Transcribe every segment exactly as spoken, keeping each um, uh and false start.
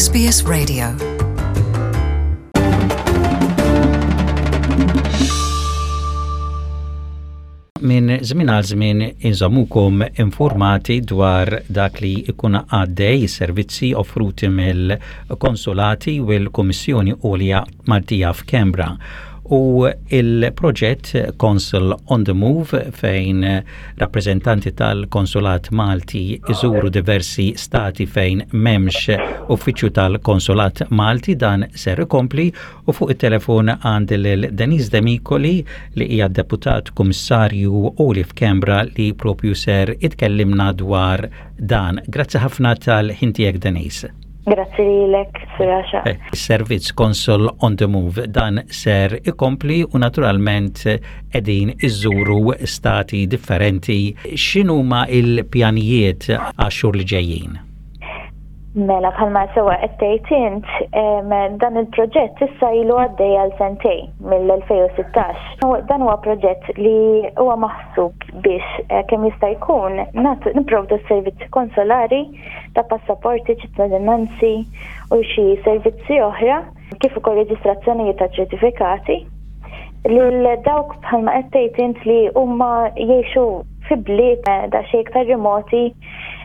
S B S Radio. Minn żmien għal żmien inżommukom informati dwar dak li ikun għaddej, servizzi offruti mill-konsolati u l-Kummissjoni Għolja Maltija f'Canberra u il-proġett Consul on the Move, fejn rappresentanti tal-Konsulat Malti iżuru diversi stati fejn m'hemmx uffiċċju tal-Konsulat Malti, dan ser ikompli. U fuq it-telefon għandi lil Denise Demicoli, li hija deputat kummissarju Għoli f'Canberra, li propju ser itkellimna dwar dan. Grazzi ħafna tal-ħin tiegħek, Denise. Grazzi lilek, Suraxa. Eh, servizz Consul on the Move dan ser ikompli u naturalment qegħdin iżuru stati differenti. X'inhuma il-pjanijiet għax-xhur li ġejjin? Mela, bħalma sewa qed tgħid int, dan il-proġett issa ilu għaddej għal sentejn mill-elfejn u sittax. Dan huwa proġett li huwa maħsub biex eh, kemm jista' jkun nagħtu, nipprovdu servizzi konsolari ta' passaporti, ċittadinanzi u xi servizzi oħra, kif ukoll reġistrazzjonijiet ta' ċertifikati lil dawk, bħalma qed tgħid int, li huma jgħixu fi bliet eh, daqsxejn iktar remoti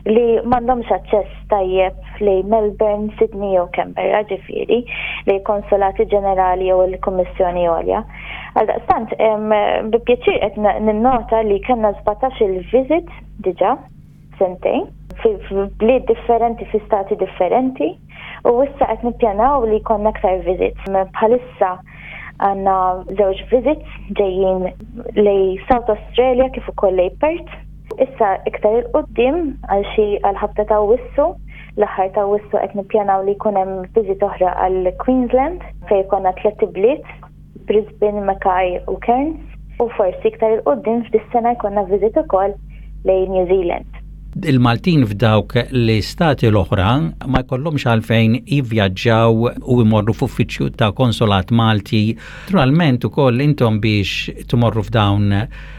li m'għandhomx aċċess tajjeb li Melbourne, Sydney jew Canberra, ġifieri li konsolati ġenerali jew il-Kummissjoni Għolja. Għaldaqstant, bi pjaċir qed ninnota li kellna sbatax il-visit diġà sentejn fi bliet differenti, fi stati differenti, u issa qed nippjanaw li jkollna aktar visits. Bħalissa għandna żewġ visits ġejjin lejn South Australia kif ukoll lejn Perth. Issa iktar 'il quddiem, għal xi għal ħabta ta' Awwissu, l-aħħar ta' Awwissu, qed nippjanaw li jkun hemm visit oħra għal Queensland fejn jkollna tliet bliet, Brisbane, Mackay u Cairns, u forsi iktar 'il quddiem f'dis-sena jkollna visit ukoll lejn New Zealand. Il-Maltin f'dawk l-istati l-oħra ma jkollhomx għalfejn jivvjaġġaw u jmorru f'uffiċċju ta' konsolat Malti. Naturalment ukoll intom biex tmorru f'dawn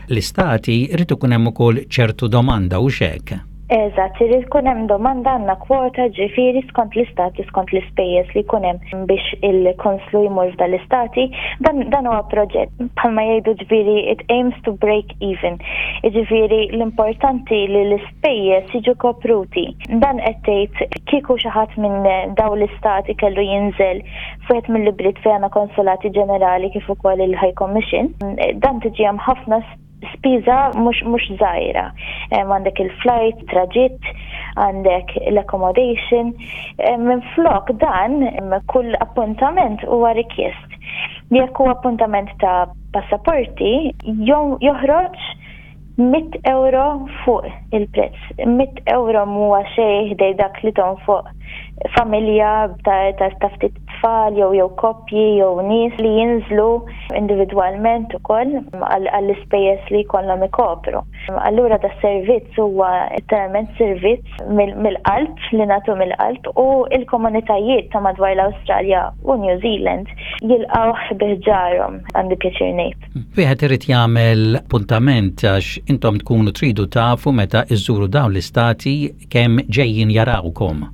l-istati irid ikun hemm ukoll ċertu domanda u hekk. Eżatt, irid ikun hemm domanda. Għandna kwota, ġifieri skont l-istati, skont l-ispejjeż li jkun hemm biex il-konslu jmur f'dan l-istati. Dan, dan huwa proġett, bħalma jgħidu, ġifieri it aims to break even. Ġifieri l-importanti li l-ispejjeż jiġu kopruti. Dan qed tgħid kieku xi ħadd minn dawn l-istati kellu jinżel f'wieħed mill-ibliet fejn għandna konsolati ġenerali kif ukoll il-High Commission. Dan tiġi hemm ħafna spiża mhux mhux żgħira. Għandek il-flight, traġitt, għandek l-accommodation. Minn flok dan, kull appuntament huwa rikjest. Jekk huwa appuntament ta' passaporti, joħroġ mitt euro fuq il-prezz. Mitt euro mhuwa xejn ħdejn dak li fuq familja ta' ta' ftit tfal jew jew koppji jew nies li jinżlu individwalment ukoll għall-ispejjeż li jkollhom ikopru. Allura da servizz huwa letteralment servizz mill-qalb, li nagħtu mill-qalb, u il-komunitajiet ta' madwar l-Awstralja u New Zealand jilqgħu bi ħġarhom, għandi pjaċir ngħid. Wieħed irid jagħmel appuntament għax intom tkunu tridu tafu meta iżżuru dawn l-istati kemm ġejjin jarawkom.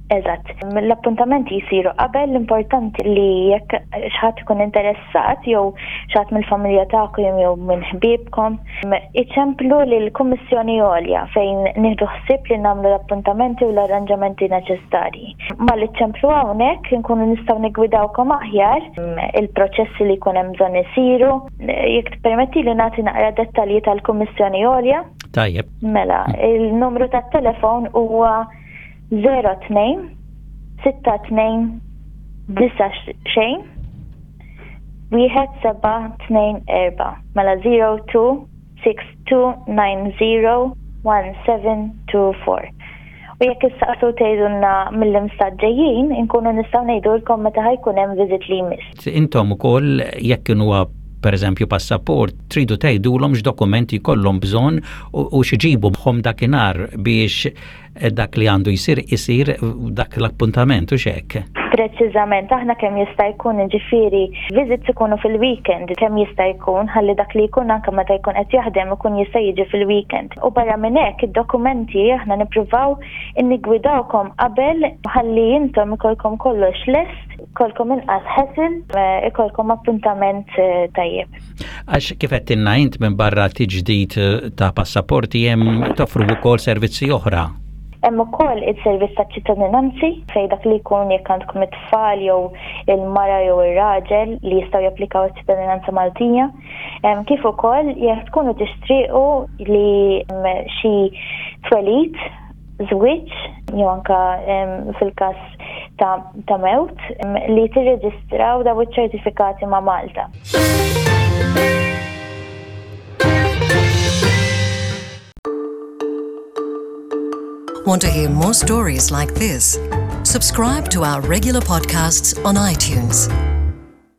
Eżatt. L-appuntamenti jisiru qabel. L-importanti li jekk xi ħadd ikun interessat jew xi ħadd mill-familja tagħkom jew minn ħbiebkom, iċemplu lill-Kummissjoni Għolja fejn nieħdu ħsieb li nagħmlu l-appuntamenti u l-arranġamenti neċessarji. Malli ċemplu hawnhekk nkunu nistgħu nigwidawkom aħjar il-proċessi li jkun hemm bżonn isiru. Jekk tippermetti li nagħti naqra dettalji tal-Kummissjoni Għolja. Tajjeb. Mela, il-numru tat-telefon huwa zero tnejn sitta tnejn disa' xejn wieħed seba' tnejn erba'. Mela zero two six two nine zero one seven two four. U jekk issaqsu, tgħidulna mil-liema stat ġejjin, inkunu nistgħu ngħidulkom meta ħa jkun hemm visit li jmiss. Intom ukoll jekk huwa pereżempju passaport, tridu tgħidulhom x'dokumenti jkollhom bżonn u x'iġibu magħhom dakinhar biex dak li għandu jsir isir dak l-appuntament u hekk. Preċiżament, aħna kemm jista' jkun, ġifieri visits ikunu fil-weekend kemm jista' jkun, ħalli dak li jkun anke meta jkun qed jaħdem ikun jista' jiġi fil-weekend. U barra minn hekk, id-dokumenti aħna nippruvaw innigwidawkom qabel ħalli intom ikolkom kollox lest, ikollkom inqas hassle, ikollkom appuntament eh, tajjeb. Għax kif qed int, minn barra tiġdid ta' passaporti hemm toffru wkoll servizzi oħra. Hemm ukoll is-servizz ta' ċittadinanzi, fejn dak li jkun, jekk għandkom it-tfal jew il-mara jew ir-raġel li jistgħu japplikaw iċ-ċittadinanza Maltija. Kif ukoll jekk tkunu tixtiequ li xi twelid, żwieġ jew anka fil-każ ta', ta mewt li tirreġistraw daw iċ-ċertifikati ma' Malta. Want to hear more stories like this? Subscribe to our regular podcasts on iTunes.